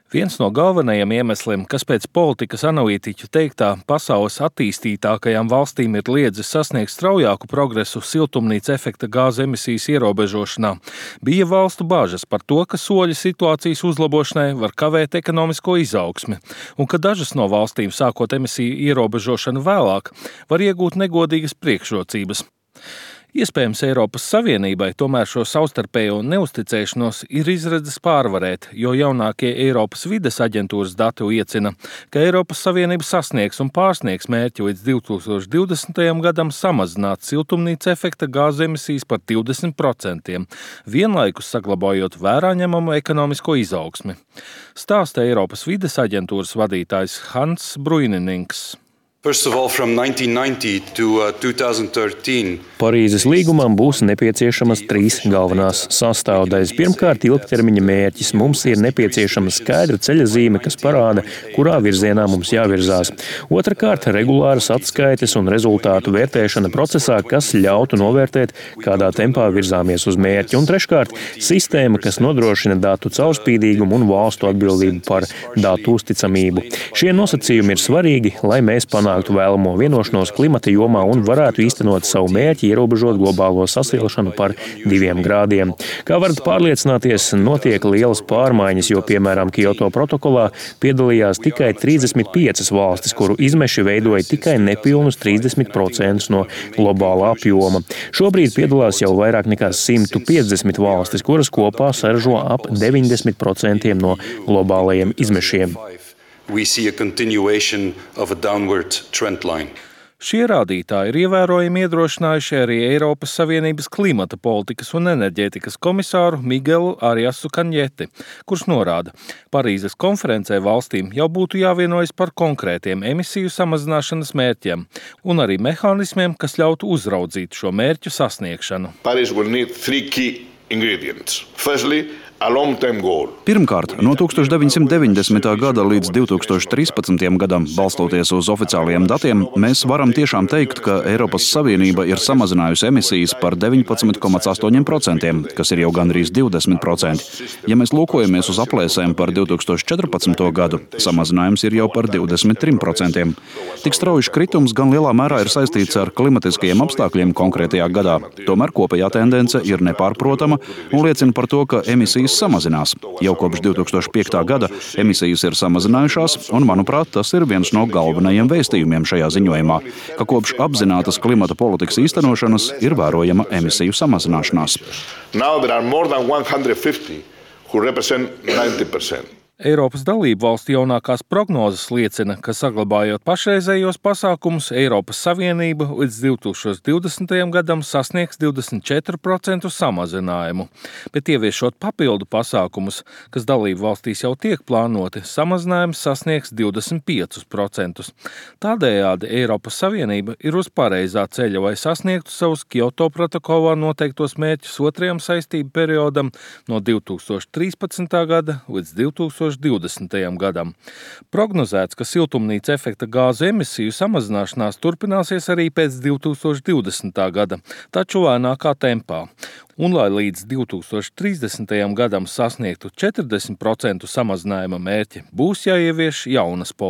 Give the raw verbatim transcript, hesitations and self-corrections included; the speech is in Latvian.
Viens no galvenajiem iemesliem, kas pēc politikas analītiķu teiktā pasaules attīstītākajām valstīm ir liedzis sasniegt straujāku progresu siltumnīca efekta gāzu emisijas ierobežošanā, bija valstu bažas par to, ka soļi situācijas uzlabošanai var kavēt ekonomisko izaugsmi, un ka dažas no valstīm, sākot emisiju ierobežošanu vēlāk, var iegūt negodīgas priekšrocības. Iespējams, Eiropas Savienībai tomēr šo savstarpējo neusticēšanos ir izredzes pārvarēt, jo jaunākie Eiropas vides aģentūras dati liecina, ka Eiropas Savienība sasniegs un pārsniegs mērķi līdz divi tūkstoši divdesmitajam gadam samazināt siltumnīca efekta gāzu emisijas par divdesmit procentiem, vienlaikus saglabājot vērā ņemamu ekonomisko izaugsmi. Stāsta Eiropas vides aģentūras vadītājs Hans Bruininings. First of all, from nineteen ninety to uh, two thousand thirteen. Parīzes līgumam būs nepieciešamas trīs galvenās sastāvdaļas. Pirmkārt, ilgtermiņa mērķis. Mums ir nepieciešama skaidra ceļazīme, kas parāda, kurā virzienā mums jāvirzās. Otrakārt, regulāras atskaites un rezultātu vērtēšana procesā, kas ļautu novērtēt, kādā tempā virzāmies uz mērķi. Un treškārt, sistēma, kas nodrošina datu caurspīdīgumu un valstu atbildību par datu uzticamību. Šie nosacījumi ir svarīgi, lai mēs panāktu vēlamo vienošanos klimata jomā un varētu īstenot savu mērķi ierobežot globālo sasilšanu par diviem grādiem. Kā varat pārliecināties, notiek lielas pārmaiņas, jo, piemēram, Kyoto protokolā piedalījās tikai trīsdesmit piecas valstis, kuru izmeši veidoja tikai nepilnus trīsdesmit procentus no globālā apjoma. Šobrīd piedalās jau vairāk nekā simt piecdesmit valstis, kuras kopā saražo ap deviņdesmit procentiem no globālajiem izmešiem. We see a continuation of a downward trend line. Šie rādītāji ir ievērojami iedrošinājuši arī Eiropas Savienības klimata politikas un enerģētikas komisāru Miguelu Ariasu Kanjeti, kurš norāda, Parīzes konferencē valstīm jau būtu jāvienojas par konkrētiem emisiju samazināšanas mērķiem un arī mehānismiem, kas ļautu uzraudzīt šo mērķu sasniegšanu. Paris will need three key ingredients. Firstly, a long-term goal. Pirmkārt, no tūkstoš deviņsimt deviņdesmitā gada līdz divi tūkstoši trīspadsmitajam gadam, balstoties uz oficiālajiem datiem, mēs varam tiešām teikt, ka Eiropas Savienība ir samazinājusi emisijas par deviņpadsmit komats astoņi procenti, kas ir jau gandrīz divdesmit procenti. Ja mēs lūkojamies uz aplēsēm par divi tūkstoši četrpadsmito gadu, samazinājums ir jau par divdesmit trim procentiem. Tik strauji kritums gan lielā mērā ir saistīts ar klimatiskajiem apstākļiem konkrētajā gadā. Tomēr kopējā tendence ir nepārprotama un liecina par to, ka emisijas samazinās. Jau kopš divi tūkstoši piektā gada emisijas ir samazinājušās, un, manuprāt, tas ir viens no galvenajiem vēstījumiem šajā ziņojumā, ka kopš apzinātas klimata politikas īstenošanas ir vērojama emisiju samazināšanās. Now there are more than one hundred fifty who represent ninety percent. Eiropas dalību valstu jaunākās prognozes liecina, ka saglabājot pašreizējos pasākumus, Eiropas Savienība līdz divi tūkstoši divdesmitajam gadam sasniegs divdesmit četru procentu samazinājumu, bet ieviešot papildu pasākumus, kas dalību valstīs jau tiek plānoti, samazinājums sasniegs divdesmit piecus procentus. Tādējādi Eiropas Savienība ir uz pareizā ceļa, lai sasniegtu savus Kyoto protokolā noteiktos mērķus otrajam saistību periodam no divi tūkstoši trīspadsmitā gada līdz divi tūkstoši divdesmitajam gadam. Prognozēts, ka siltumnīca efekta gāzu emisiju samazināšanās turpināsies arī pēc divi tūkstoši divdesmitā gada, taču lēnākā tempā. Un, lai līdz divi tūkstoši trīsdesmitajam gadam sasniegtu četrdesmit procentu samazinājuma mērķi, būs jāievieš jaunas politikas.